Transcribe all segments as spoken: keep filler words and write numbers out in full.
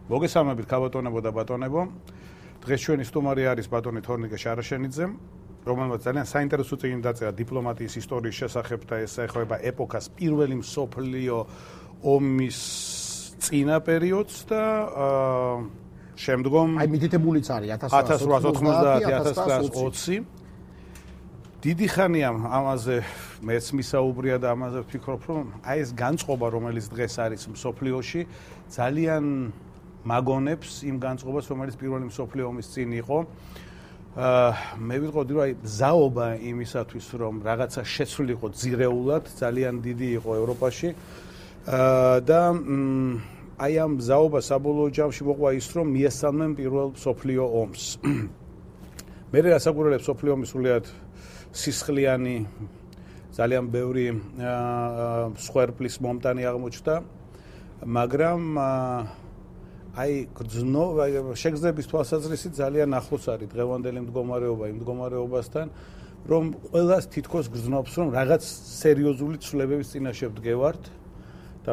მოგესალმებით ქაბატონებო და ბატონებო. დღეს ჩვენი სტუმარი არის ბატონი თორნიკე შარაშენიძე, რომელმაც ძალიან საინტერესო წიგნი დაწერა დიპლომატიის ისტორიის შესახებ და ეს ეხება ეპოქას პირველი მსოფლიო ომის წინა პერიოდს და შემდგომ აი მითითებულიც არის ათას რვაას ოცდაათი ათას ცხრაას ოცი. დიდი ხანია ამაზე მეც მისაუბრია და ამაზე ვფიქრობ, რომ აი ეს განწყობა, რომელიც დღეს არის მსოფლიოში, ძალიან მაგონებს იმ განწყობას, რომელიც პირველი მსოფლიო ომის წინ იყო. აა მე ვიტყოდი, რომ აი ზაობა იმისათვის, რომ რაღაცა შეცვლილიყო ძირეულად, ძალიან დიდი იყო ევროპაში. აა და აი ამ ზაობა საბოლოო ჯამში მოყვა ის, რომ მიესალმნენ პირველ მსოფლიო ომს. მე რასაკვირველია მსოფლიო ომის სულიად სისხლიანი ძალიან ბევრი სხვერპლის მომტანი აღმოჩნდა, მაგრამ აი გრძნო შეგრძნების თვალსაზრისით ძალიან ახლოს არის დღევანდელი მდგომარეობა იმ მდგომარეობასთან, რომ ყველას თითქოს გრძნობს, რომ რაღაც სერიოზული ცვლილებების წინაშე ვდგევართ და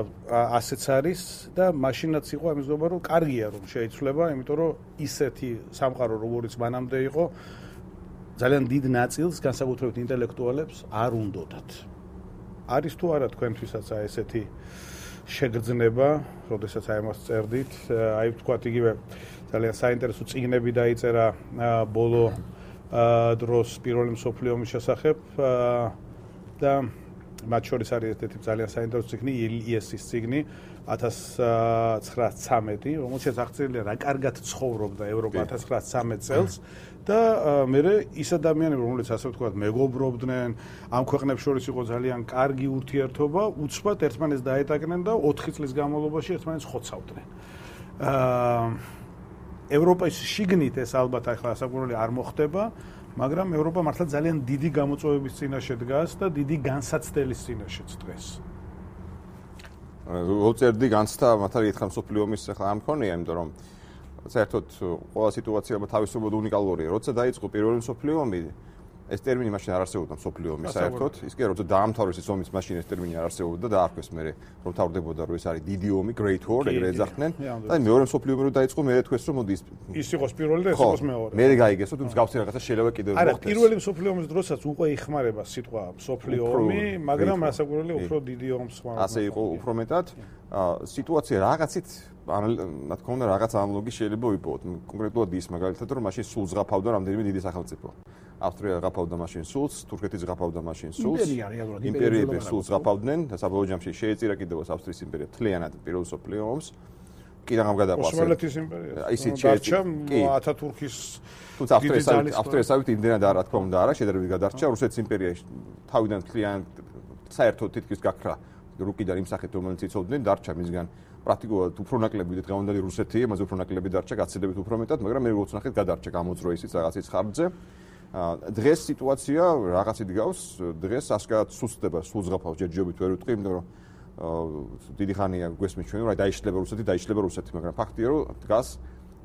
ასეც არის და მაშინაც იყო ამისგობა, რომ კარგია რომ შეიცვლება, იმიტომ რომ ისეთი სამყარო როგორიც მანამდე იყო ძალიან დიდ ნაწილს, განსაკუთრებით ინტელექტუალებს არ უნდოდათ. არის თუ არა თქვენთვისაც აი ესეთი შეგრძნება, როდესაც აი ამას წერდით, აი ვთქვათ იგივე ძალიან საინტერესო წიგნები დაიწერა ბოლო დროს პირველი მსოფლიო ომის შესახებ და მათ შორის არის ერთ-ერთი ძალიან საინტერესო წიგნი იესის წიგნი ათას ცხრაას ცამეტი, რომელშიც აღწერილია რა კარგად ცხოვრობდა ევროპა ათას ცხრაას ცამეტ წელს და მე ის ადამიანები, რომლებიც ასე ვთქვათ, მეგობრობდნენ, ამ ქვეყნებს შორის იყო ძალიან კარგი ურთიერთობა, უცბად ერთმანეთს დაეტაკნენ და ოთხი წლის განმავლობაში ერთმანეთს ხოცავდნენ. აა ევროპის შიგნით ეს ალბათ ახლა ასაკურველი არ მოხდება, მაგრამ ევროპა მართლა ძალიან დიდი გამოწვევების წინაშე დგას და დიდი განსაცდელის წინაშეც დღეს. როწერდი განცდა მართალი ერთხელ მსოფლიო ომის ახლა ამ მქონია, იმიტომ რომ საერთოდ ყველა სიტუაცია თავისუფლად უნიკალურია. როცა დაიწყო პირველი მსოფლიო ომი, ეს ტერმინი მაშინ არ არსებობდა მსოფლიო ომი საერთოდ. ის კი როცა დაამთავრეს ის ომის მაშინ ეს ტერმინი არ არსებობდა და დაარქვეს მე რომ თავდებოდა რომ ეს არის დიდი ომი, Great War, ეგრე ეძახდნენ. და მეორე მსოფლიო ომი რო დაიწყო, მე თქვეს რომ მოდი ის იყოს პირველი და ეს იყოს მეორე. მე გაიგესო, თუმცა გავცი რაღაცა შეიძლება კიდევ მოხდეს. არა, პირველი მსოფლიო ომის დროსაც უკვე იხმარება სიტყვა მსოფლიო ომი, მაგრამ რასაკვირველია უფრო დიდი ომს ხმარობენ. ასე იყო უფრო მეტად. სიტუაცია რაღაცით რა თქმა უნდა რაღაც ანალოგი შეიძლება ვიპოვოთ. კონკრეტულად ის მაგალითად რომ მაშინ სულ ზღაფავდა რამდენიმე დიდი სახელმწიფო. ავსტრია ზღაფავდა მაშინ სულს, თურქეთი ზღაფავდა მაშინ სულს. იმპერიები სულ ზღაფავდნენ და საბოლოო ჯამში შეეწირა კიდევ ავსტრიის იმპერია მთლიანად პირველ მსოფლიო ომს. კიდევ ამ გადაყვას. ოსმალეთის იმპერია. ისიც შეეწირა ათათურქის თუმცა ავსტრიასავით იმდენად არა თქმა უნდა არა შედარებით გადარჩა. რუსეთის იმპერია თავიდან მთლიანად საერთოდ თითქმის გაქრა რუკიდან იმ სახით რომელიც იცოდნენ დარჩა მისგან პრაქტიკულად უფრო ნაკლები და დღევანდელი რუსეთი, ამაზე უფრო ნაკლები დარჩა, გაცილებით უფრო მეტად, მაგრამ მე როგორც ნახეთ, გადარჩა გამოძრო ისიც რაღაცის ხარჯზე. დღეს სიტუაცია რაღაცით გავს, დღეს ასკარად სუსტდება, სულ ზღაფავს ჯერჯერობით ვერ ვიტყვი, იმიტომ რომ დიდი ხანია გვესმის ჩვენ, რომ აი დაიშლება რუსეთი, დაიშლება რუსეთი, მაგრამ ფაქტია, რომ დგას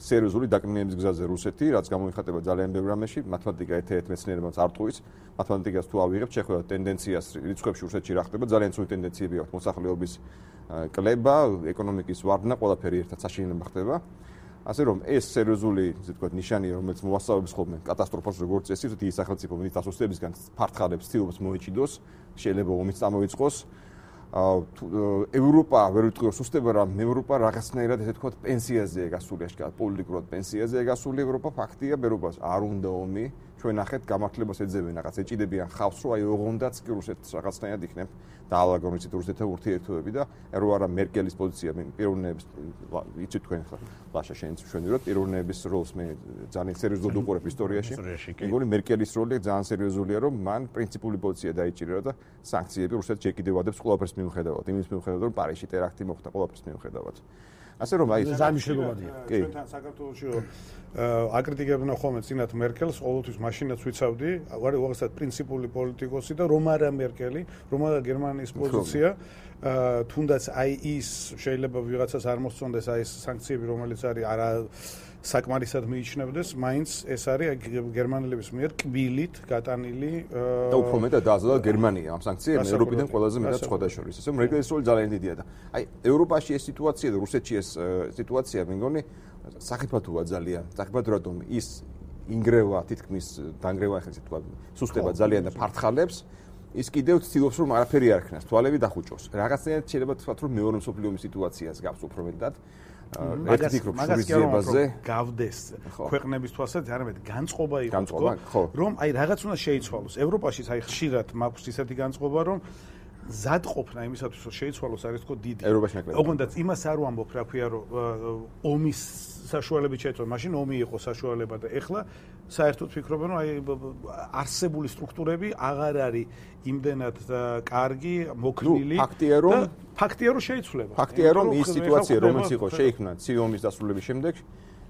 სერიოზული დაკნინების გზაზე რუსეთი, რაც გამოიხატება ძალიან ბევრ რამეში, მათემატიკა ერთ-ერთ მეცნიერებაც არ ტყუის, მათემატიკას თუ ავიღებთ, შეხვედრა ტენდენციას რიცხვებში რუსეთში რა ხდება, ძალიან ცუდ ტენდენციები აქვს მოსახლეობის კლება, ეკონომიკის ვარდნა, ყველაფერი ერთად საშინელება ხდება. ასე რომ ეს სერიოზული, ისე ვთქვათ, ნიშანია, რომელიც მოასწავებს ხოლმე კატასტროფას როგორც წესი, თითი სახელმწიფო მით ასოცირებისგან ფართხალებს ცდილობს მოეჭიდოს, შეიძლება ომიც წამოიწყოს. ევროპა ვერ ვიტყვი რომ სუსტდება, რა ევროპა რაღაცნაირად ესე ვთქვათ პენსიაზეა გასული, აშკარად პოლიტიკურად პენსიაზეა გასული ევროპა, ფაქტია, ევროპას არ უნდა ომი, ჩვენ ნახეთ გამართლებას ეძებენ, რაღაც ეჭიდებიან ხავს, რომ აი ოღონდაც კი რუსეთს რაღაცნაირად იქნებ დაალაგონ ისეთ რუსეთთან ურთიერთობები და რო არა მერკელის პოზიცია პიროვნების იცით თქვენ ხა ლაშა შენც მშვენივრად პიროვნების როლს მე ძალიან სერიოზულად უყურებ ისტორიაში. მეგონი მერკელის როლი ძალიან სერიოზულია, რომ მან პრინციპული პოზიცია დაიჭირა და სანქციები რუსეთს ჯერ კიდევ ადებს ყველაფერს მიუხედავად, იმის მიუხედავად რომ პარიზში ტერაქტი მოხდა ყველაფერს მიუხედავად. ასე რომ აი ზამიშლებობადია. ჩვენთან საქართველოში აკრიტიკებდნენ ხოლმე წინათ მერკელს, ყოველთვის მაშინაც ვიცავდი, ვარ უაღრესად პრინციპული პოლიტიკოსი და რომ არა მერკელი, რომ არა გერმანიის პოზიცია, თუნდაც აი ის შეიძლება ვიღაცას არ მოსწონდეს აი ეს სანქციები, რომელიც არის არა საკმარისად მიიჩნევდეს, მაინც ეს არის გერმანელების მიერ კბილით გატანილი და უფრო მეტად დააზრდა გერმანია ამ სანქციებს ევროპიდან ყველაზე მეტად სხვა შორის. ესე რომ რეგრესული ძალიან დიდია და აი ევროპაში ეს სიტუაცია და რუსეთში ეს სიტუაცია მე მგონი სახიფათოა ძალიან. სახიფათო რატომ ის ინგრევა თითქმის დანგრევა ახლა ისე თქვა სუსტება ძალიან და ფართხალებს ის კიდევ ცდილობს რომ არაფერი არ ქნას თვალები დახუჭოს. რაღაცნაირად შეიძლება თქვა რომ მეორე მსოფლიო ომის სიტუაციას გავს უფრო მეტად. ერთ ფიქრობ შურისძიებაზე გავდეს ქვეყნების თვალსაჩინო არამედ განწყობა იყო რომ აი რაღაც უნდა შეიცვალოს. ევროპაში აი ხშირად მაქვს ისეთი განწყობა რომ ზადყოფნა იმისათვის რომ შეიცვალოს არის თქო დიდი. ევროპაში ნაკლები. ოღონდ იმას არ ვამბობ რა ქვია რომ ომის საშუალებით შეიცვალა. მაშინ ომი იყო საშუალება და ეხლა საერთოდ ფიქრობენ რომ აი არსებული სტრუქტურები აღარ არის იმდენად კარგი, მოქნილი. ფაქტია რომ ფაქტია რომ შეიცვლება. ფაქტია რომ ის სიტუაცია რომელიც იყო შეიქმნა ცივი ომის დასრულების შემდეგ,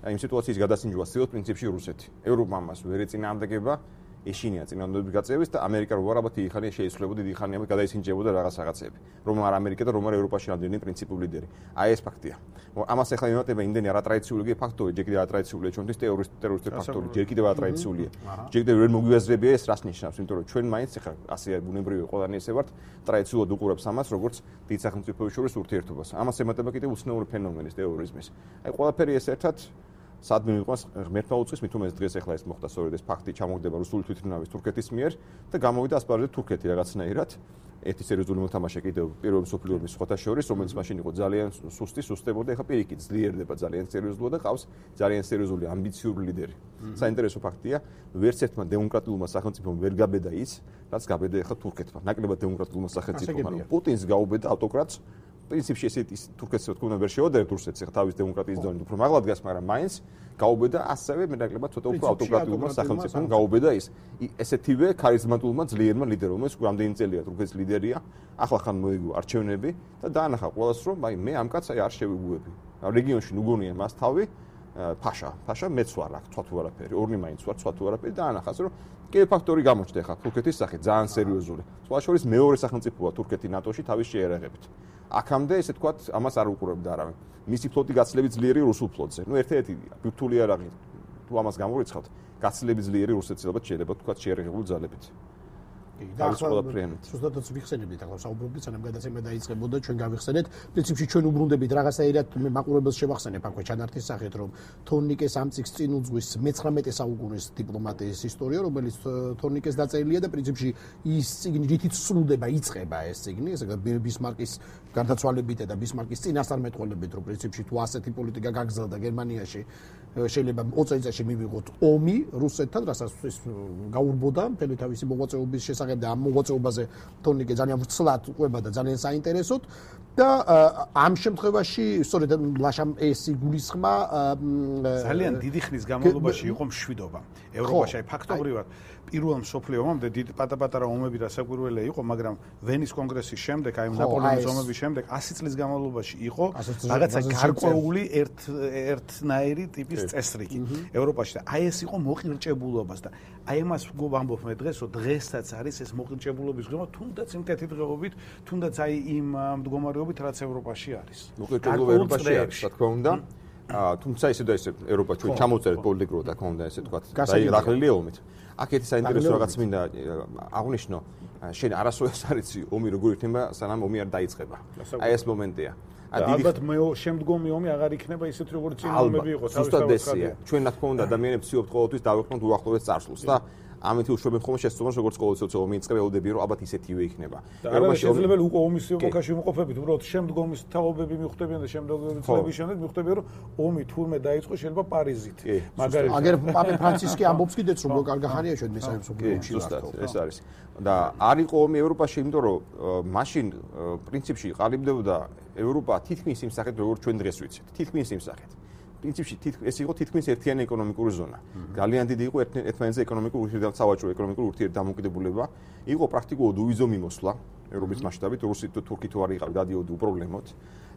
აი იმ სიტუაციის გადასინჯვა ცდილობს პრინციპში რუსეთი. ევროპა მას ვერ ეწინააღმდეგება. ეშინია წინააღმდეგობის გაწევის და ამერიკა რო არაბათ დიდი ხანია შეიცვლებოდა, დიდი ხანია გადაისინჯებოდა რაღაც რაღაცები. რომ არ ამერიკა და რომ არ ევროპაში რამდენი პრინციპული ლიდერი. აი ეს ფაქტია. ამას ახლა იმატება იმდენი არატრადიციული ფაქტორი, ჯერ კიდევ არატრადიციულია ჩვენთვის ტერორისტული ფაქტორი, ჯერ კიდევ არატრადიციულია. ჯერ კიდევ ვერ მოგვიაზრებია ეს რას ნიშნავს, იმიტომ რომ ჩვენ მაინც ახლა ასე ბუნებრივი ყველანი ესე ვართ, ტრადიციულად უყურებს ამას, როგორც დიდ სახელმწიფოების შორის ურთიერთობას. ამას ემატება კიდევ უცნაური ფენომენის ტერორიზმის. აი ყველაფერი ეს ერთად სადმე მიყვანს ღმერთმა უწყის მით უმეტეს დღეს ახლა ეს მოხდა სწორედ ეს ფაქტი ჩამოგდება რუსული თვითმფრინავის თურქეთის მიერ და გამოვიდა ასპარეზზე თურქეთი რაღაცნაირად ერთი სერიოზული მოთამაშე კიდევ პირველ მსოფლიო ომის სხვათა შორის რომელიც მაშინ იყო ძალიან სუსტი სუსტებოდა ეხლა პირიქით ძლიერდება ძალიან სერიოზულად და ყავს ძალიან სერიოზული ამბიციური ლიდერი. საინტერესო ფაქტია ვერც ერთმა დემოკრატიულმა სახელმწიფომ ვერ გაბედა ის რაც გაბედა ეხლა თურქეთმა. ნაკლებად დემოკრატიულმა სახელმწიფომ ანუ პუტინს გაუბედა ავტოკრატს პრინციპში ესეთი თურქეთს რა თქმა უნდა ვერ შეოდერეთ რუსეთს ახლა თავის დემოკრატიის დონით უფრო მაღლა დგას, მაგრამ მაინც გაუბედა ასევე მე ნაკლებად ცოტა უფრო ავტოკრატიულმა სახელმწიფომ გაუბედა ის ესეთივე ქარიზმატულმა ძლიერმა ლიდერმა, რომელიც რამდენი წელია თურქეთის ლიდერია, ახლა ხან მოიგო არჩევნები და დაანახა ყველას რომ აი მე ამ კაცს აი არ შევიგუები. რეგიონში ნუგონია მას თავი ფაშა, ფაშა მეც ვარ აქ, ცვა თუ არაფერი, ორნი მაინც ვარ, ცვა თუ არაფერი და ანახას რომ კიდევ ფაქტორი გამოჩნდა ხა თურქეთის სახით ძალიან სერიოზული. სხვა შორის მეორე სახელმწიფოა თურქეთი ნატოში თავის შეერაღებით. აქამდე ესე თქვა ამას არ უყურებდა არავინ. მისი ფლოტი გაცილებით ძლიერი რუსულ ფლოტზე. ნუ ერთ-ერთი ბირთვული არაღი თუ ამას გამორიცხავთ, გაცილებით ძლიერი რუსეთს ალბათ შეიძლება თქვა შეერაღებული ძალებით. და ახლა ზუსტადაც ვიხსენებდით ახლა საუბრობდით სანამ გადაცემა დაიწყებოდა ჩვენ გავიხსენეთ პრინციპში ჩვენ უბრუნდებით რაღაცაირად მე მაყურებელს შევახსენებ აქვე ჩანართის სახით რომ თორნიკეს ამწიქს წინ უძღვის მეცხრამეტე საუკუნის დიპლომატიის ისტორია რომელიც თორნიკეს დაწერილია და პრინციპში ის წიგნი რითიც სრულდება იწყება ეს წიგნი ესე ბისმარკის გარდაცვალებით და ბისმარკის წინასწარმეტყველებით რომ პრინციპში თუ ასეთი პოლიტიკა გაგრძელდა გერმანიაში შეიძლება ოცი წელიწადში მივიღოთ ომი რუსეთთან რასაც ის გაურბოდა მთელი თავისი მოღვაწეობის შესახებ და ამ მოღვაწეობაზე თორნიკე ძალიან ვრცლად უყვება და ძალიან საინტერესოდ და ამ შემთხვევაში სწორედ ლაშამ ესი გულისხმა ძალიან დიდი ხნის განმავლობაში იყო მშვიდობა ევროპაში აი ფაქტობრივად პირველ მსოფლიო ომამდე დიდი პატა-პატარა ომები რასაკვირველია იყო მაგრამ ვენის კონგრესის შემდეგ აი ნაპოლეონის ომების შემდეგ ასი წლის განმავლობაში იყო რაღაცა გარკვეული ერთ ერთნაირი ტიპის წესრიგი ევროპაში და აი ეს იყო მოყირჭებულობას და აი ამას ვამბობ მე დღეს რომ დღესაც არის ეს მოყირჭებულობის ღრმა თუნდაც იმ თეთრი დღეობით თუნდაც აი იმ მდგომარეობით რაც ევროპაში არის მოყირჭებულობა ევროპაში არის რა თქმა უნდა თუმცა ისე და ისე ევროპა ჩვენ ჩამოვწერეთ პოლიტიკურად და ქონდა ესე თქვა დაიღრაღლილია ომით აქეთი საინტერესო რაღაც მინდა აღნიშნო შენ არასოდეს არიცი ომი როგორ იქნება სანამ ომი არ დაიწყება აი ეს მომენტია ალბათ მე შემდგომი ომი აღარ იქნება ისეთი როგორც წინა ომები იყო თავისთავად ჩვენ რა თქმა უნდა ადამიანებს ვცდილობთ ყოველთვის დავეყრდნოთ უახლოეს წარსულს და ამით უშუალოდ ხოლმე შესწავლოს როგორც ყოველთვის ომი იწყება ელოდები რომ ალბათ ისეთივე იქნება ევროპაში შეიძლება უკვე ომის ეპოქაში ვიმყოფებით უბრალოდ შემდგომის თაობები მიხვდებიან და შემდგომი წლების შემდეგ მიხვდებიან რომ ომი თურმე დაიწყო შეიძლება პარიზით მაგალითად აგერ პაპე ფრანცისკი ამბობს კიდეც რომ კარგახანია ჩვენ მესამე მსოფლიო ომში ეს არის და არ იყო ომი ევროპაში იმიტომ რომ მაშინ პრინციპში ყალიბდებოდა ევროპა თითქმის იმ სახით როგორც ჩვენ დღეს ვიცით თითქმის იმ სახით პრინციპში ეს იყო თითქმის ერთიანი ეკონომიკური ზონა. ძალიან დიდი იყო ერთმანეთზე ეკონომიკური ურთიერთდამოკიდებულება, სავაჭრო ეკონომიკური ურთიერთდამოკიდებულება. იყო პრაქტიკულად უვიზო მიმოსვლა ევროპის მასშტაბით, რუსით თუ თურქი თუ არ იყავი დადიოდი უპრობლემოდ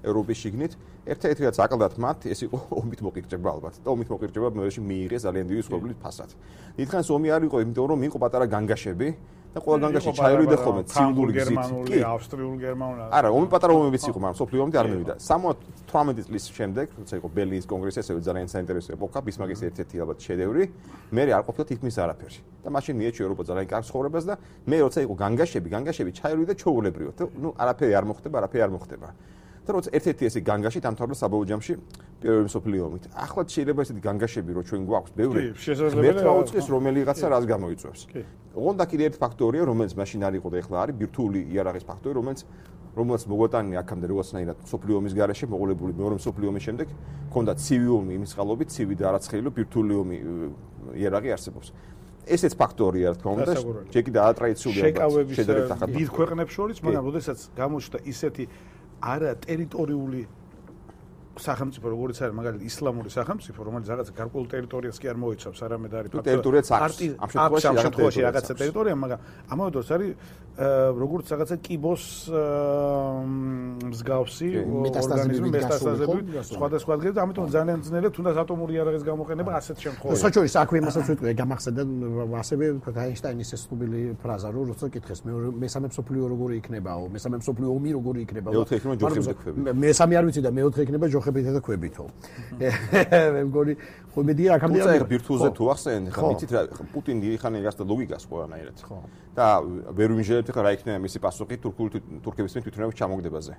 ევროპის შიგნით. ერთ-ერთი რაც აკლდათ მათ, ეს იყო ომით მოყირჭება ალბათ. და ომით მოყირჭება მეერეში მიიღეს ძალიან დიდი სხდომით ფასად. დიდხანს ომი არ იყო, იმიტომ რომ იყო პატარა განგაშები და ყველა განგაში ჩაერვიდა ხოლმე ცივული გზით. კი, ავსტრიულ გერმანულ. არა, ომი პატარა ომებიც იყო, მაგრამ სოფლიო ომი არ მივიდა. სამოცდამეტი წლის შემდეგ, როცა იყო ბერლინის კონგრესი, ესე ძალიან საინტერესო ეპოქა, ბისმარკის ერთ-ერთი ალბათ შედევრი, მე არ ყოფილა თითქმის არაფერი. და მაშინ მიეჩვია ევროპა ძალიან კარგ ცხოვრებას და მე როცა იყო განგაშები, განგაშები ჩაერვიდა ჩაულებრივად. ნუ არაფერი არ მოხდება, არაფერი არ მოხდება. და როცა ერთ-ერთი ესე განგაში დამთავრდა საბოლოო ჯამში პირველი მსოფლიო ომით. ახლა შეიძლება ესეთი განგაშები რო ჩვენ გვაქვს ბევრი. მერტვა უწყეს რომელიღაცა რას გამოიწვევს. ოღონდ და კიდე ერთი ფაქტორია, რომელიც მაშინ არ იყო და ახლა არის ბირთვული იარაღის ფაქტორი, რომელიც რომელსაც მოგვატანია აქამდე რაღაცნაირად მსოფლიო ომის გარეშე მოყოლებული მეორე მსოფლიო ომის შემდეგ ჰქონდა ცივი ომი იმის წყალობით, ცივი და არაცხეილო ბირთვული ომი იარაღი არსებობს. ესეც ფაქტორია, რა თქმა უნდა, ჯეკი და ატრადიციულია შედარებით ახალ დიდ ქვეყნებს შორის, მაგრამ როდესაც გამოჩნდა ისეთი არა ტერიტორიული სახელმწიფო, როგორც არის მაგალითად ისლამური სახელმწიფო, რომელიც რაღაც გარკვეულ ტერიტორიას კი არ მოიცავს, არამედ არის ტერიტორიაც აქვს. ამ შემთხვევაში რაღაცა ტერიტორია, მაგრამ ამავე დროს არის როგორც რაღაცა კიბოს მსგავსი ორგანიზმი მეტასტაზები სხვადასხვა ადგილზე, ამიტომ ძალიან ძნელია თუნდაც ატომური იარაღის გამოყენება ასეთ შემთხვევაში. საჩურის აქვე იმასაც ვიტყვი, გამახსენდა ასევე აინშტაინის ეს ცნობილი ფრაზა, რომ როცა კითხეს მესამე მსოფლიო როგორი იქნებაო, მესამე მსოფლიო ომი როგორი იქნებაო. მეოთხე იქნება ჯოხებით და ქვებით. მესამე არ ვიცი და მეოთხე იქნება ჯოხებით და ქვებითო. მე მგონი ხო მედია აქამდე არ ბირთვულზე თუ ახსენეთ, ხა მიცით რა პუტინი იხანე გასდა ლოგიკას ყველანაირად. ხო. და ვერ ვიმჟერებთ ხა რა იქნება მისი პასუხი თურქული თურქების თვითმფრინავის ჩამოგდებაზე.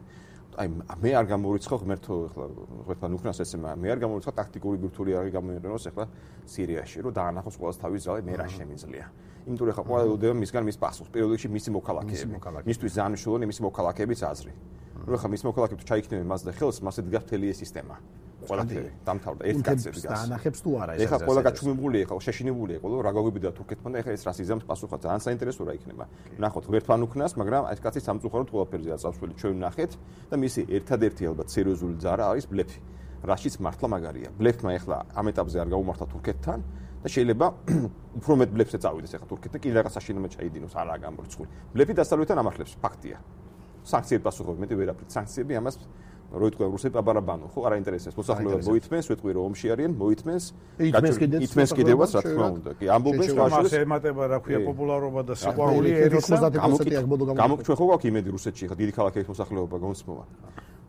აი მე არ გამორიცხავ ღმერთო ხლა ღმერთთან უკრას ესე მე არ გამორიცხავ ტაქტიკური ბირთვული იარაღი გამოიყენოს ახლა სირიაში, რომ დაანახოს ყოველს თავის ძალე მე რა შემიძლია. იმიტომ რომ ხა ყველა ელოდება მისგან მის პასუხს, პირველ რიგში მისი მოქალაქეები. მისთვის ძალიან მნიშვნელოვანი მისი მოქალაქეების აზრი. რომ ხა მის მოქალაქეებს ჩაიქნებენ მას და ხელს, მასე დგას მთელი ეს სისტემა. ყველაფერი დამთავრდა ერთ კაცებს დგას. დაანახებს თუ არა ეს. ეხლა ყველა გაჩუმებული იყო, შეშინებული იყო, რომ რა გაგვიბიდა თურქეთთან და ეხლა ეს რას იზამს პასუხად. ძალიან საინტერესოა რა იქნება. ნახოთ ღმერთთან უკნას, მაგრამ ეს კაცი სამწუხაროდ ყველაფერზეა წავსველი ჩვენ ვნახეთ და მისი ერთადერთი ალბათ სერიოზული ძარა არის ბლეფი. რაშიც მართლა მაგარია. ბლეფმა ეხლა ამ ეტაპზე არ გაუმართა თურქეთთან და შეიძლება უფრო მეტ ბლეფზე წავიდეს ეხლა თურქეთთან, კიდე რაღაც საშინელად ჩაიდინოს, არაა გამორიცხული. ბლეფი დასავლეთთან ამართლებს, ფაქტია. სანქციები პასუხობენ, მეტი ვერაფრით სანქციები ამას რო იტყვი რუსები აბარაბანო, ხო, არ აინტერესებს. მოსახლეობა მოითმენს, ვიტყვი რომ ომში არიან, მოითმენს. ითმენს კიდევაც რა თქმა უნდა. კი, ამბობენ სხვაშორის ემატება რა ქვია პოპულარობა და სიყვარული ერისა. გამოკითხვა ხო გვაქვს იმედი რუსეთში, ხა დიდი ქალაქების მოსახლეობა გონსმოვა.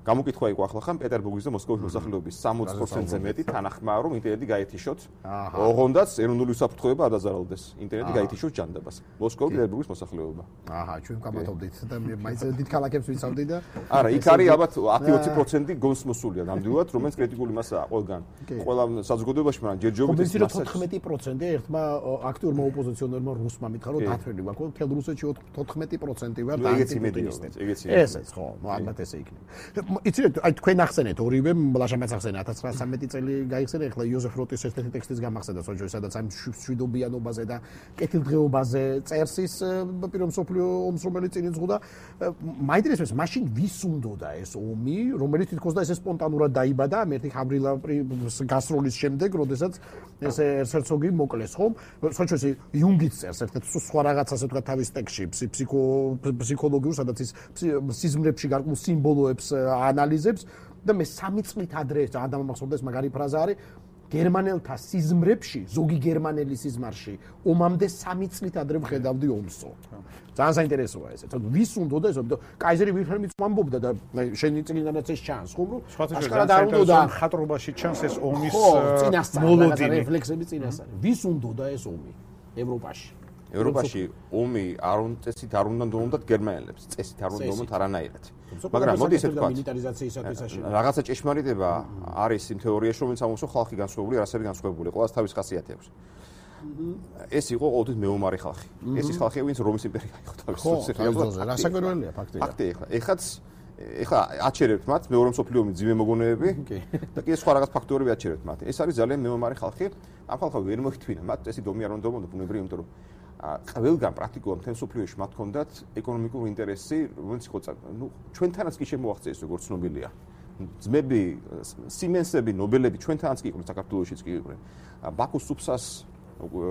გამოკითხვა იყო ახლა ხან პეტერბურგის და მოსკოვის მოსახლეობის სამოცი პროცენტზე მეტი თანახმაა რომ ინტერნეტი გაეთიშოთ. ოღონდაც ეროვნული უსაფრთხოება არ დაზარალდეს. ინტერნეტი გაეთიშოთ ჯანდაბას. მოსკოვის პეტერბურგის მოსახლეობა. აჰა, ჩვენ გამათობდით და მაინც დიდ ქალაქებს ვიცავდი და არა, იქ არის ალბათ ათი ოცი პროცენტი გონს მოსულია ნამდვილად, რომელიც კრიტიკული მასაა ყველგან. ყველა საზოგადოებაში, მაგრამ ჯერჯერობით ეს თოთხმეტი პროცენტი ერთმა აქტიურმა ოპოზიციონერმა რუსმა მითხრა რომ დათვლილი გვაქვს, თელ რუსეთში თოთხმეტი პროცენტი ვარ და ანტიპუტინისტები. ესეც ხო, ალბათ ესე იქნება. იცით, აი თქვენ ახსენეთ ორივე ლაშამაც ახსენა ათას ცხრაასამეტი წელი გაიხსენა, ეხლა იოზეფ როტის ერთ-ერთი ტექსტის გამახსენდა სოჭოი, სადაც ამ შვიდობიანობაზე და კეთილდღეობაზე წერს ის პირველ მსოფლიო ომს, რომელიც წინ იძღოდა. მაინტერესებს, მაშინ ვის უნდოდა ეს ომი, რომელიც თითქოს და ესე სპონტანურად დაიბადა, ერთი ჰავრილავის გასროლის შემდეგ, როდესაც ეს ერცერცოგი მოკლეს, ხო? სოჭოი იუნგიც წერს ერთ-ერთ სხვა რაღაცას თქვა თავის ტექსტში, ფსიქო ფსიქოლოგიურ, სადაც ის სიზმრებში გარკვეულ სიმბოლოებს ანალიზებს და მე სამი წლით ადრე ადამიანმახსოვდეს მაგარი ფრაზა არის გერმანელთა სიზმრებში ზოგი გერმანელი სიზმარში ომამდე სამი წლით ადრე ვხედავდი ომსო. ძალიან საინტერესოა ესე. თორემ ვის უნდოდა ეს, იმიტომ კაიზერი ვილჰელმიც ამბობდა და შენი წინანაც ეს ჩანს, ხო? ახლა და უნდა ხატრობაში ჩანს ეს ომის მოლოდინი, რეფლექსები წინასწარი. ვის უნდოდა ეს ომი ევროპაში? ევროპაში ომი არ უნდა წესით არ უნდა დონდათ გერმანელებს, წესით არ უნდა დონდათ არანაირად. მაგრამ მოდი ესე ვთქვა, რაღაცა ჭეშმარიტება არის იმ თეორიაში, რომელიც ამბობს, რომ ხალხი განსხვავებული, რასები განსხვავებული, ყველას თავის ხასიათი აქვს. ეს იყო ყოველთვის მეომარი ხალხი. ეს ის ხალხია, ვინც რომის იმპერია იყო თავის რეალურად. რასაკვირველია ფაქტია. ფაქტია ეხლა. ეხაც ეხლა აჩერებთ მათ მეორე მსოფლიო ომის ძიმე მოგონებები და კიდე სხვა რაღაც ფაქტორები აჩერებთ მათ. ეს არის ძალიან მეომარი ხალხი. ამ ხალხს ვერ მოიხთვინა მათ წესი დომი არ უნდა დომონ ბუნებრივი, იმიტომ რომ ყველგან პრაქტიკულად მთელ მსოფლიოში მათ ჰქონდათ ეკონომიკური ინტერესი, რომელიც იყო ნუ ჩვენთანაც კი შემოაღწიეს როგორც ცნობილია. ძმები, სიმენსები, ნობელები ჩვენთანაც კი იყვნენ საქართველოშიც კი იყვნენ. ბაქოს სუფსას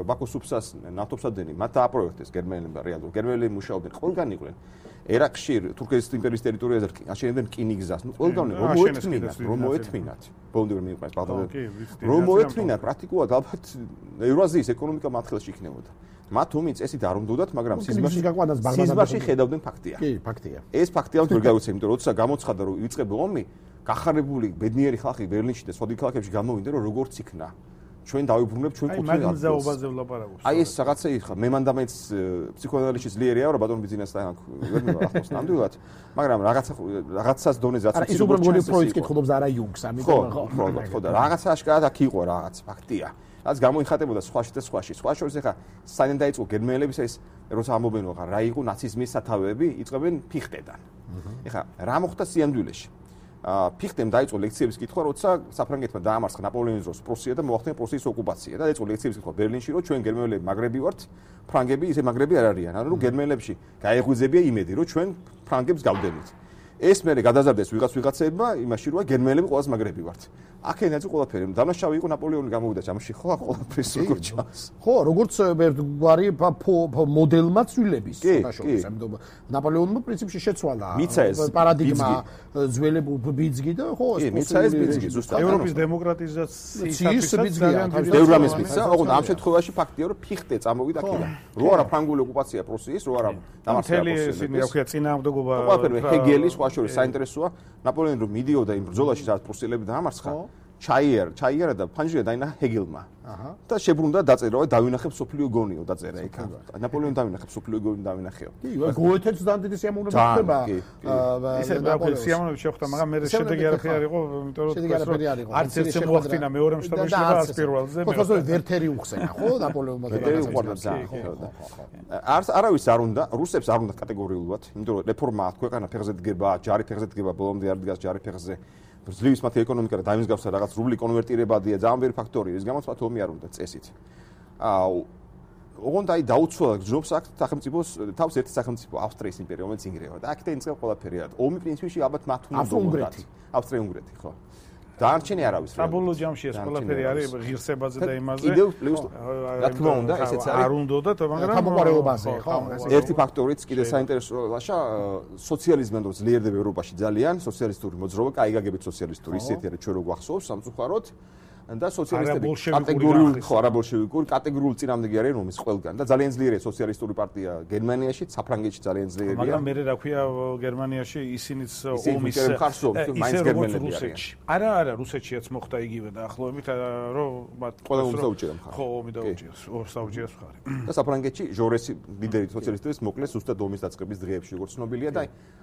ბაქოს სუფსას ნავთობსადენი მათ დააპროექტეს გერმანელებმა რეალურად. გერმანელები მუშაობდნენ ყველგან იყვნენ. ერაყში თურქეთის იმპერიის ტერიტორიაზე აშენებდნენ რკინიგზას. ნუ ყველგან რომ მოეთმინათ, რომ მოეთმინათ. ბოლომდე რომ მიყვეს ბაღდადად. რომ მოეთმინათ პრაქტიკულად ალბათ ევრაზიის ეკონომიკა მათხელში იქნებოდა. მათ ომი წესით არ უნდათ, მაგრამ სიზმარში სიზმარში ხედავდნენ ფაქტია. კი, ფაქტია. ეს ფაქტია რომ ვერ გავიცემ, იმიტომ რომ როცა გამოცხადა რომ იწყება ომი, გახარებული ბედნიერი ხალხი ბერლინში და სხვა ქალაქებში გამოვიდა რომ როგორც იქნა. ჩვენ დავიბრუნებთ ჩვენ კუთვნილ ადგილს. აი მაგზაობაზე ვლაპარაკობ. აი ეს რაღაცა იხა, მე მანდ ამეც ფსიქოანალიზში ძლიერია, რა ბატონ ბიზნესთან ვერ მივახავს ნამდვილად, მაგრამ რაღაცა რაღაცას დონეზე რაც ის უბრალოდ გონი პროექტს კითხულობს არა იუნგს, ამიტომ ხო, ხო, ხო და რაღაცა აშკარად აქ იყო რაღაც ფაქტია. რაც გამოიხატებოდა სხვაში და სხვაში. სხვა შორის ეხა საიდან დაიწყო გერმანელების ეს როცა ამობენ ვაღარ რა იყო ნაციზმის სათავეები, იწყებენ ფიხტედან. ეხა რა მოხდა სიამდვილეში? ფიხტემ დაიწყო ლექციების კითხვა, როცა საფრანგეთმა დაამარცხა ნაპოლეონის დროს პრუსია და მოახდინა პრუსიის ოკუპაცია და დაიწყო ლექციების კითხვა ბერლინში, რომ ჩვენ გერმანელები მაგრები ვართ, ფრანგები ისე მაგრები არ არიან. ანუ გერმანელებში გაეღვიძებია იმედი, რომ ჩვენ ფრანგებს გავდენით. ეს მე გადაზარდეს ვიღაც ვიღაცებმა იმაში, რომ გერმანელები ყოველს მაგრები ვართ. აქედან დაიწყო ყველაფერი. დამნაშავე იყო ნაპოლეონი გამოვიდა ჯამში, ხო, ყველაფერს როგორ ჩანს. ხო, როგორც ერთგვარი მოდელმა ცვლილების შორის, ამიტომ ნაპოლეონმა პრინციპში შეცვალა პარადიგმა ძველებუ ბიძგი და ხო, ეს მიცა ეს ბიძგი ზუსტად. ევროპის დემოკრატიზაციისათვის ძალიან ბევრამის მიცა, ოღონდ ამ შემთხვევაში ფაქტია, რომ ფიხტე წამოვიდა აქედან. რო არა ფრანგული ოკუპაცია პრუსიის, რო არა დამარცხება პრუსიის. ისინი აქვია წინააღმდეგობა. ყველაფერი ჰეგელი სხვა შორის საინტერესოა ნაპოლეონი რომ მიდიოდა იმ ბრძოლაში, სადაც პრუსიელები დაამარცხა. ჩაიერ, ჩაიერა და ფანჯრია დაინა ჰეგელმა. აჰა. და შებრუნდა დაწერა, დავინახებ სოფლიო გონიო დაწერა იქ. ნაპოლეონი დავინახებ სოფლიო გონი დავინახეო. კი, გოეთეც ძალიან დიდი სიამოვნება ხდება. ისე ნაპოლეონის სიამოვნება შეხვდა, მაგრამ მე შედეგი არაფერი იყო, იმიტომ რომ არც ერთ შემოახდინა მეორე მსოფლიო ომში, არც პირველზე. ხო, თორე ვერთერი უხსენა, ხო, ნაპოლეონმა ვერთერი უყვარდა ძალიან. არც არავის არ უნდა, რუსებს არ უნდა კატეგორიულად, იმიტომ რომ რეფორმა ქვეყანა ფეხზე დგება, ჯარი ფეხზე დგება, ბოლომდე არ დგას ჯარი ფეხზე. ძლივს მათი ეკონომიკა და დაიმსგავსა რაღაც რუბლი კონვერტირებადია, ძალიან ბევრი ფაქტორია, ის გამოც მათ ომი არ უნდა წესით. აა ოღონდ აი დაუცველად გძნობს აქ სახელმწიფოს თავს ერთი სახელმწიფო ავსტრიის იმპერია, რომელიც ინგრევა და აქედან იწყება ყველაფერი. ომი პრინციპში ალბათ მათ უნდა ავსტრია-უნგრეთი. ავსტრია-უნგრეთი, ხო. დარჩენი არავის. საბოლოო ჯამში ეს ყველაფერი არის ღირსებაზე და იმაზე. კიდევ პლუს რა თქმა უნდა, ესეც არის. არ უნდათ, მაგრამ გამოყარეობაზე, ხო. ერთი ფაქტორიც კიდე საინტერესოა, სოციალიზმი რომ ძლიერდება ევროპაში ძალიან, სოციალისტური მოძრაობა, კაი გაგებით სოციალისტური, ისეთი არის ჩვენ რო გვახსოვს სამწუხაროდ. და სოციალისტები კატეგორიული ხო არაბოლშევიკური კატეგორიული წინამდეგი არიან ომის ყველგან და ძალიან ძლიერია სოციალისტური პარტია გერმანიაში, საფრანგეთში ძალიან ძლიერია. მაგრამ მე რა ქვია გერმანიაში ისინიც ომის მაინც გერმანელები არიან. არა, არა, რუსეთშიაც მოხდა იგივე დაახლოებით, რომ მათ ყველა ომს დაუჭირა მხარი. ხო, ომი დაუჭირეს, ორს დაუჭირეს მხარი. და საფრანგეთში ჟორესი ლიდერი სოციალისტების მოკლეს ზუსტად ომის დაწყების დღეებში, როგორც ცნობილია და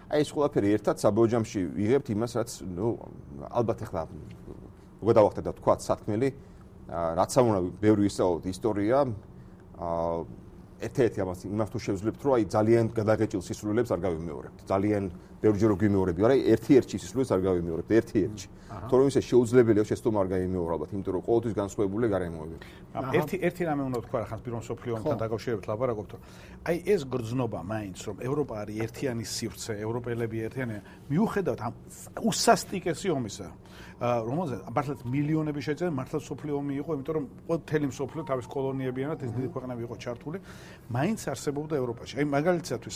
აი ეს ყველაფერი ერთად საბოლოო ჯამში ვიღებთ იმას, რაც ნუ ალბათ ახლა უკვე დავახტეთ და თქვა სათქმელი, რაც ამონა ბევრი ისწავლოთ ისტორია, ერთ-ერთი ამას იმას თუ შევძლებთ, რომ აი ძალიან გადაღეჭილ სისულელებს არ გავიმეორებთ. ძალიან ბევრჯერ რო გვიმეორები, არა, ერთი-ერთი სისულელს არ გავიმეორებთ, ერთი-ერთი. თორემ ისე შეუძლებელია შეცდომა არ გაიმეორა ალბათ, იმიტომ რომ ყოველთვის განსხვავებული გარემოებები. ერთი ერთი რამე უნდა თქვა, ახლა პირველ მსოფლიო ომთან დაკავშირებით ლაპარაკობთ, რომ აი ეს გრძნობა მაინც, რომ ევროპა არის ერთიანი სივრცე, ევროპელები ერთიანია, მიუხედავად ამ უსასტიკესი ომისა, რომელზეც მართლაც მილიონები შეჭერა, მართლაც მსოფლიო ომი იყო, იმიტომ რომ მთელი მსოფლიო თავის კოლონიებიანად ეს დიდი ქვეყნები იყო ჩართული, მაინც არსებობდა ევროპაში. აი მაგალითისთვის,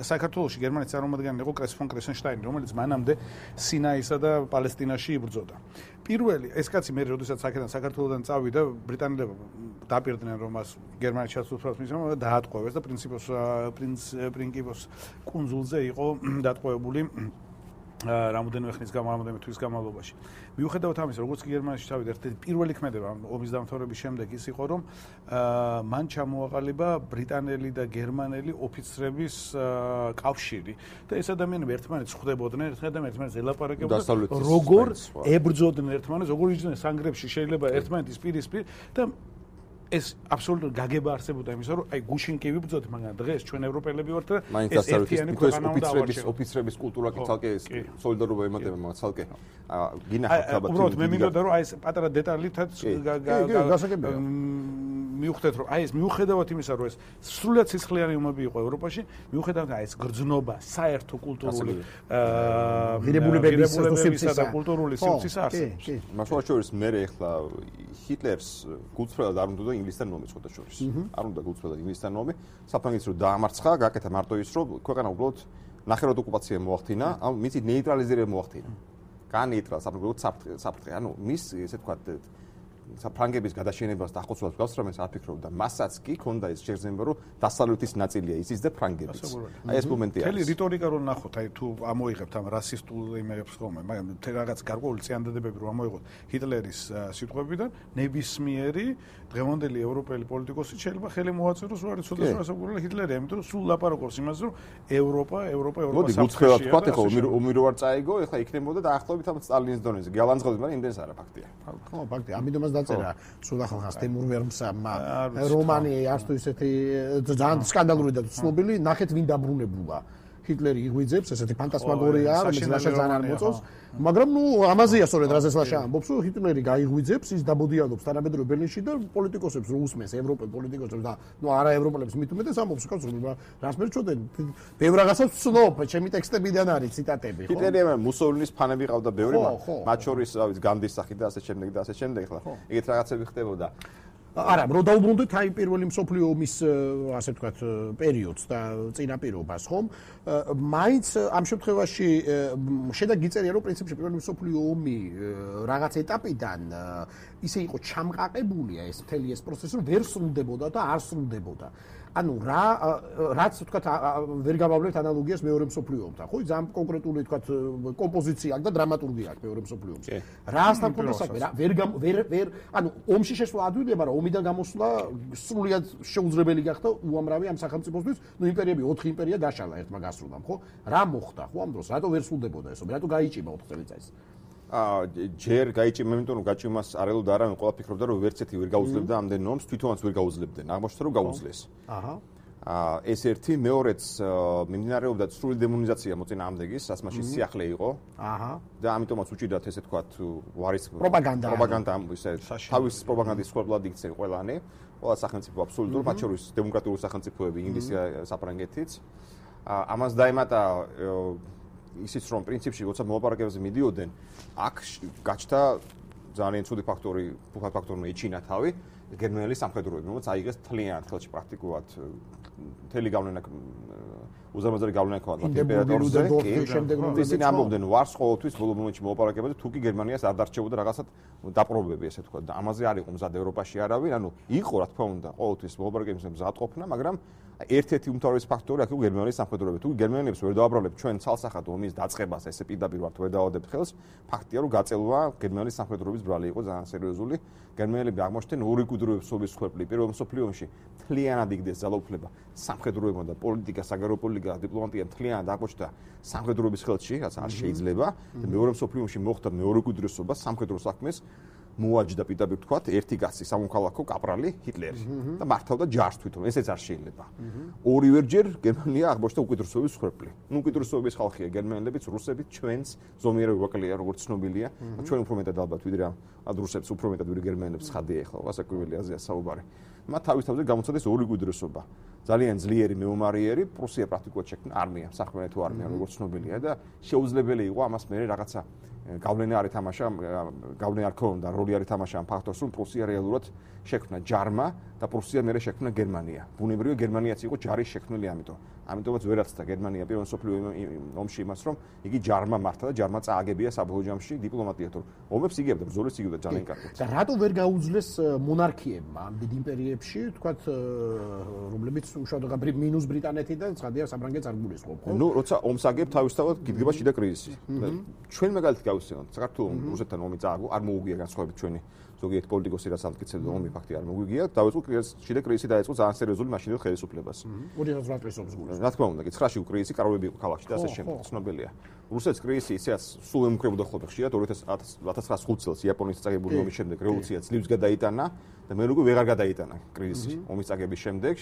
საქართველოში გერმანიის წარმომადგენელი იყო კრეს ფონ კრესენშტაინი, რომელიც მანამდე სინაისა და პალესტინაში იბრძოდა. პირველი ეს კაცი მე როდესაც აქედან საქართველოსდან წავიდა, ბრიტანელებმა დაპირდნენ რომ მას გერმანიაში ჩასულფრავს მისმა დაატყვევეს და პრინციპოს პრინც პრინკიპოს კუნძულზე იყო დატყვევებული რამოდენიმე ხნის განმავლობაში, თვის განმავლობაში. მიუხედავად ამისა, როგორც კი გერმანიაში ჩავიდა, ერთ-ერთი პირველი ქმედება ომის დამთავრების შემდეგ ის იყო, რომ მან ჩამოაყალიბა ბრიტანელი და გერმანელი ოფიცრების კავშირი და ეს ადამიანები ერთმანეთს ხვდებოდნენ, ერთმანეთს ელაპარაკებდნენ, როგორ ებრძოდნენ ერთმანეთს, როგორ იჯდნენ სანგრებში, შეიძლება ერთმანეთის პირისპირ და ეს აბსოლუტურად გაგება არსებობდა იმისა, რომ აი გუშინ კი ვიბრძოთ, მაგრამ დღეს ჩვენ ევროპელები ვართ და ეს ერთიანი ქვეყანა უნდა ავარჩიოთ. ოფიცრების კულტურა კი ცალკე სოლიდარობა ემატება, მაგრამ ცალკე გინახავთ ალბათ. უბრალოდ მე მინდოდა რომ აი ეს პატარა დეტალითაც მიუხედავად რომ აი ეს მიუხედავად იმისა, რომ ეს სრულად სისხლიანი ომები იყო ევროპაში, მიუხედავად აი ეს გრძნობა, საერთო კულტურული ღირებულებების და კულტურული სიმწის არსებობს. მასშტაბ შორის მე ახლა ჰიტლერს გულწრფელად არ უნდა ინგლისთან ომი ხოდა შორის. არ უნდა გულწრფელად ინგლისთან ომი. საფრანგეთს რო დაამარცხა, გაკეთა მარტო ის, რომ ქვეყანა უბრალოდ ნახევრად ოკუპაცია მოახდინა, ამ მიწი ნეიტრალიზირება მოახდინა. განეიტრალ საფრანგეთს საფრთხე, ანუ მის ესე ვთქვათ ფრანგების გადაშენებას და ახორციელებას გავს, რომ ეს არ ფიქრობდა. მასაც კი ქონდა ეს შეგრძნება, რომ დასავლეთის ნაწილია ისიც და ფრანგებიც. აი ეს მომენტი არის. მთელი რიტორიკა რო ნახოთ, აი თუ ამოიღებთ ამ რასისტულ იმებს ხოლმე, მაგრამ რაღაც გარკვეული წინადადებები რო ამოიღოთ ჰიტლერის სიტყვებიდან, ნებისმიერი დღევანდელი ევროპელი პოლიტიკოსი შეიძლება ხელი მოაწეროს, რომ არის ცოტა სასაგურელი ჰიტლერი, იმიტომ რომ სულ ლაპარაკობს იმას, რომ ევროპა, ევროპა, ევროპა მოდი გუცხელად ვთქვათ, ეხლა ომი რო არ წაიგო, ეხლა იქნებოდა დაახლოებით ამ სტალინის დონეზე. გალანძღობთ, მაგრამ იმდენს არა ფაქტია. ხო, ფაქტია. ამიტომაც დაწერა სულ ახალხანს თემურ ვერმსამმა რომანი არც თუ ისეთი ძალიან სკანდალური და ცნობილი, ნახეთ ვინ დაბრუნებულა. ჰიტლერი იღვიძებს, ესეთი ფანტასმაგორია, რომელიც ლაშა ძალიან არ მოწონს, მაგრამ ნუ ამაზეა სწორედ რაზეც ლაშა ამბობს, რომ ჰიტლერი გაიღვიძებს, ის დაბოდიალობს თანამედროვე ბერლინში და პოლიტიკოსებს რო უსმენს, ევროპელ პოლიტიკოსებს და ნუ არა ევროპელებს მით უმეტეს ამბობს, კაცო, რას მერჩოდენ? ბევრ რაღაცას ვცნობ, ჩემი ტექსტებიდან არის ციტატები, ხო? ჰიტლერი ამ მუსოლინის ფანები ყავდა ბევრი, მათ შორის, რა ვიცი, განდის სახით და ასე შემდეგ და ასე შემდეგ, ხლა. ეგეთ რაღაცები ხდებოდა. არა, რო დაუბრუნდით აი პირველი მსოფლიო ომის ასე ვთქვათ პერიოდს და წინაპირობას, ხომ? მაინც ამ შემთხვევაში შედა გიწერია, რომ პრინციპში პირველი მსოფლიო ომი რაღაც ეტაპიდან ისე იყო ჩამყაყებულია ეს მთელი ეს პროცესი, რომ ვერ სრულდებოდა და არ სრულდებოდა. ანუ რა რაც ვთქვათ ვერ გავავლებთ ანალოგიას მეორე მსოფლიო ომთან, ხო? ძალიან კონკრეტული ვთქვათ კომპოზიცია აქვს და დრამატურგია აქვს მეორე მსოფლიო ომში. რასთან ქონდა საქმე? ვერ ვერ ვერ ანუ ომში შესვლა ადვილია, მაგრამ ომიდან გამოსვლა სრულიად შეუძლებელი გახდა უამრავი ამ სახელმწიფოსთვის. ნუ იმპერიები ოთხი იმპერია დაშალა ერთმა გასრულამ, ხო? რა მოხდა, ხო ამ დროს? რატო ვერ სრულდებოდა ეს ომი? რატო გაიჭიმა ოთხ წელიწადს? აა ჯერ გაიჭიმა, იმიტომ რომ გაჭიმას არ ელოდა არა, ყველა ფიქრობდა რომ ვერცეთი ვერ გაუძლებდა ამდენ ომს, თვითონაც ვერ გაუძლებდნენ. აღმოჩნდა რომ გაუძლეს. აჰა. აა ეს ერთი, მეორეც მიმდინარეობდა სრული დემონიზაცია მოწინააღმდეგის, რაც მაშინ სიახლე იყო. აჰა. და ამიტომაც უჭირდათ ესე თქვათ ვარის პროპაგანდა. პროპაგანდა ისე თავის პროპაგანდის სკოლად იქცენ ყველანი, ყველა სახელმწიფო აბსოლუტურად, მათ შორის დემოკრატიული სახელმწიფოები, ინგლისი, საფრანგეთიც. აა ამას დაემატა ისიც რომ პრინციპში როცა მოლაპარაკებებზე მიდიოდნენ, აქ გაჩნდა ძალიან ცუდი ფაქტორი, ფუქად ფაქტორი ეჩინა თავი, გერმანელი სამხედროები, რომელიც აიღეს თლიანად ხელში პრაქტიკულად მთელი გავლენა უზარმაზარი გავლენა ქონდა იმპერატორზე. ისინი ამბობდნენ ვარს ყოველთვის ბოლო მომენტში მოლაპარაკებაზე, თუ კი გერმანიას არ დარჩებოდა რაღაცა დაპრობები, ესე თქვა და ამაზე არ იყო მზად ევროპაში არავინ, ანუ იყო რა თქმა უნდა ყოველთვის მოლაპარაკებებზე მზადყოფნა, მაგრამ ერთ-ერთი უმთავრესი ფაქტორი აქ იყო გერმანიის სამხედროები. თუ გერმანელებს ვერ დააბრალებთ ჩვენ ცალსახად ომის დაწყებას, ესე პირდაპირ ვართ ვერ დაავადებთ ხელს, ფაქტია რომ გაწელვა გერმანიის სამხედროების ბრალი იყო ძალიან სერიოზული. გერმანელები აღმოჩნდნენ ორი კუდროების სოლის ხერხი. პირველ მსოფლიო ომში მთლიანად იგდეს ძალაუფლება სამხედროებმა და პოლიტიკა, საგარეო პოლიტიკა, დიპლომატია მთლიანად აღმოჩნდა სამხედროების ხელში, რაც არ შეიძლება. და მეორე მსოფლიო ომში მოხდა მეორე კუდროსობა სამხედრო საქმეს. მოაჯდა პირდაპირ თქვათ ერთი კაცი სამოქალაქო კაპრალი ჰიტლერი და მართავდა ჯარს თვითონ ესეც არ შეიძლება. ორივერჯერ გერმანია აღმოჩნდა უკიდურესობის ხერხი. ნუ უკიდურესობის ხალხია გერმანელებიც, რუსებიც, ჩვენც ზომიერად ვაკლია როგორც ცნობილია. ჩვენ უფრო მეტად ალბათ ვიდრე ამ რუსებს უფრო მეტად ვიდრე გერმანელებს ხადია ახლა გასაკვირველი აზია საუბარი. მათ თავის თავზე გამოცადეს ორი უკიდურესობა. ძალიან ძლიერი მეომარიერი, პრუსია პრაქტიკულად შექმნა არმია, საფრანგეთო არმია როგორც ცნობილია და შეუძლებელი იყო ამას მერე რაღაცა გავლენა არ ეთამაშა, გავლენა არ ქონდა, როლი არ ეთამაშა ამ ფაქტორს, რომ პრუსია რეალურად შექმნა ჯარმა და პრუსია მერე შექმნა გერმანია. ბუნებრივია გერმანიაც იყო ჯარის შექმნელი, ამიტომ. ამიტომაც ვერაცდა გერმანია პირველ მსოფლიო ომში იმას, რომ იგი ჯარმა მართა და ჯარმა წააგებია საბოლოო ჯამში დიპლომატიად. ომებს იგებდა, ბრძოლებს იგებდა ძალიან კარგად. და რატო ვერ გაუძლეს მონარქიებმა ამ დიდ იმპერიებში, თქვათ, რომლებიც უშუალოდ მინუს ბრიტანეთი და ცხადია საფრანგეთს არ გულისხმობ, ხო? ნუ როცა ომს აგებ, თავისთავად გიდგება შიდა კრიზისი. ჩვენ მაგალითად გავიხსენოთ, საქართველოს რუსეთთან ომი წააგო, არ მოუგია განსხვავებით ჩვენი ზოგიერთი პოლიტიკოსი რაც ამტკიცებდა ომი ფაქტია არ მოგვიგია, დავიწყო შიდა კრიზისი დაიწყო ძალიან სერიოზული მაშინდელ ხელისუფლებას. ორი ათას ოთხ წელს გულისხმობ. რა თქმა უნდა, ცხრაში კრიზისი კაროები იყო ქალაქში და ასე შემდეგ, ცნობილია. რუსეთის კრიზისი ისეაც სულ ემუქრებოდა ხოლმე ხშირად ორი ათას ცხრაას წელს იაპონიის წაგებული ომის შემდეგ რევოლუცია ძლივს გადაიტანა და მე როგორ ვეღარ გადაიტანა კრიზისი ომის წაგების შემდეგ.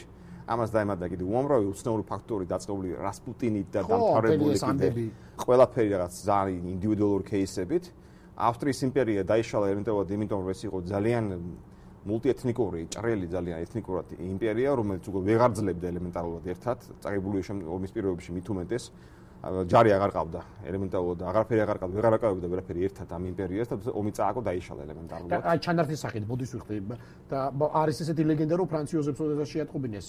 ამას დაემატა კიდე უამრავი უცნაური ფაქტორი დაწყებული რასპუტინით და დამთავრებული კიდე ყველაფერი რაღაც ძალიან ინდივიდუალური кейსებით. ავსტრიის იმპერია დაიშალა ეროვნულად იმიტომ რომ ეს იყო ძალიან მულტიეთნიკური, ჭრელი ძალიან ეთნიკურად იმპერია, რომელიც უკვე ვეღარ ძლებდა ელემენტარულად ერთად, წაგებული ომის პირობებში მით უმეტეს ჯარი აღარ ყავდა ელემენტარულად აღარაფერი აღარ ყავდა ვეღარ აკავებდა ვერაფერი ერთად ამ იმპერიას და ომი წააგო დაიშალა ელემენტარულად და ჩანართის სახით ბოდის ვიხდი და არის ესეთი ლეგენდა რომ ფრანც იოზეფს ოდესმე შეატყობინეს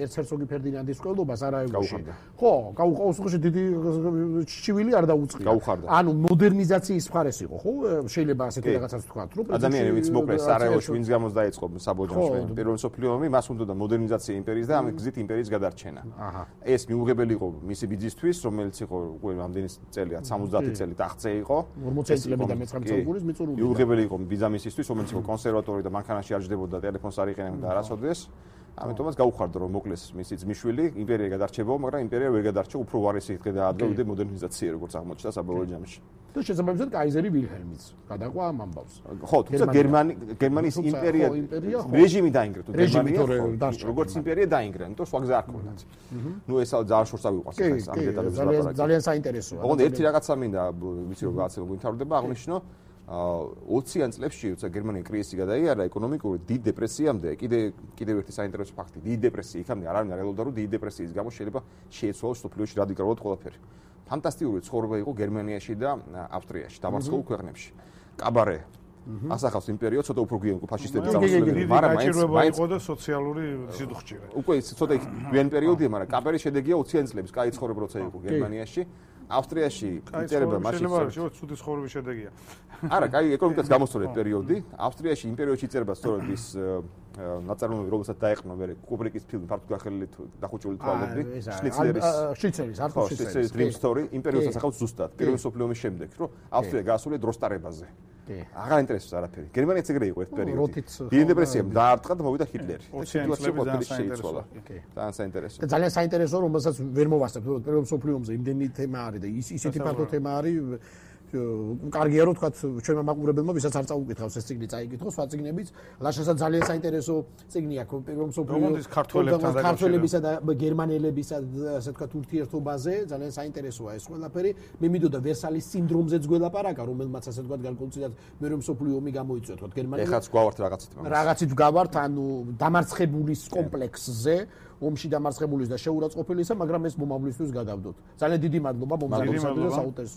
ერცჰერცოგი ფერდინანდის ყოლობას არაევში ხო გაუყავს უხეში დიდი ჩივილი არ დაუწყია ანუ მოდერნიზაციის მხარეს იყო ხო შეიძლება ასეთი რაღაცას ვთქვათ რომ ადამიანი ვინც მოკლეს სარაევოში ვინც გამოც დაიწყო საბოჯომში პირველი მსოფლიო ომი მას უნდა მოდერნიზაცია იმპერიის და ამ გზით იმპერიის გადარჩენა ეს მიუღებელი იყო მისი ბიძისთვის რომელიც იყო უკვე ამდენი წელია სამოცდაათი წელი ტახტზე იყო ორმოცი წელი და მეცხრამეტე საუკუნის მიწურულია მიუღებელი იყო ბიზამისისთვის რომელიც იყო კონსერვატორი და მანქანაში არ ჯდებოდა ტელეფონს არ იყენებდა არასოდეს ამიტომაც გაუხარდა რომ მოკლეს მისი ძმისშვილი იმპერია გადარჩებაო მაგრამ იმპერია ვერ გადარჩა უფრო ვარესი დღე დაადგა ვიდრე მოდერნიზაცია როგორც აღმოჩნდა საბოლოო ჯამში და შესაბამისად კაიზერი ვილჰელმიც გადაყვა ამ ამბავს ხო თუმცა გერმანი გერმანიის იმპერია რეჟიმი დაინგრა თუ გერმანია როგორც იმპერია დაინგრა იმიტომ სხვა გზა არ ქონდათ ნუ ეს ძალიან შორს ავიყვანს ეს ამ დეტალებს ლაპარაკი ძალიან საინტერესოა ოღონდ ერთი რაღაცა მინდა ვიცი რომ რაღაცა გვინთავრდება აღნიშნო ოციან წლებში როცა გერმანია კრიზისი გადაიარა ეკონომიკური დიდ დეპრესიამდე კიდე კიდევ ერთი საინტერესო ფაქტი დიდ დეპრესია იქამდე არავინ არ ელოდა რომ დიდ დეპრესიის გამო შეიძლება შეეცვალოს სოფლიოში რადიკალურად ყველაფერი ფანტასტიკური ცხოვრება იყო გერმანიაში და ავსტრიაში დამარცხებულ ქვეყნებში კაბარე ასახავს იმპერიო ცოტა უფრო გვიან იყო ფაშისტები წამოსულები მაგრამ მაინც იყო და სოციალური სიდუხჭირე უკვე ცოტა გვიან პერიოდია მაგრამ კაბარის შედეგია ოციან წლების კაი ცხოვრება როცა იყო გერმანიაში ავსტრიაში იწერება მაშინ შეიძლება ცუდი ცხოვრების შედეგია არა კაი ეკონომიკას გამოსწორეთ პერიოდი ავსტრიაში იმპერიოში იწერება სწორედ ის ნაწარმოები რომელსაც დაეყნა მე კუბრიკის ფილმი ფართოდ გახელილი დახუჭული თვალები შნიცლერის შნიცლერის არტურ შნიცლერის dream story იმპერიოს ასახავს ზუსტად პირველი მსოფლიო ომის შემდეგ რომ ავსტრია გაასრულა დროსტარებაზე აღარ ინტერესებს არაფერი გერმანიაც ეგრე იყო ერთ პერიოდი დიდი დეპრესიამ დაარტყა და მოვიდა ჰიტლერი ძალიან საინტერესო და ძალიან საინტერესო რომელსაც ვერ მოვასწრებ რომ პირველ მსოფლიო ომზე იმდენი თემა არის და ისეთი ფართო თემა არის კარგია რომ თქვა ჩვენმა მაყურებელმა ვისაც არ წაუკითხავს ეს წიგნი წაიკითხოს სხვა წიგნებიც ლაშასაც ძალიან საინტერესო წიგნი აქვს პირველ მსოფლიო ქართველებისა და გერმანელებისა ასე თქვა ურთიერთობაზე ძალიან საინტერესოა ეს ყველაფერი მე მინდოდა ვერსალის სინდრომზეც გველაპარაკა რომელმაც ასე თქვა განკონცილად მეორე მსოფლიო ომი გამოიწვია თქვა გერმანელი ეხაც გვავართ რაღაცით რაღაცით გვავართ ანუ დამარცხებულის კომპლექსზე ომში დამარცხებულის და შეურაცხყოფილისა მაგრამ ეს მომავლისთვის გადავდოთ ძალიან დიდი მადლობა მომზადებისა და საუთერს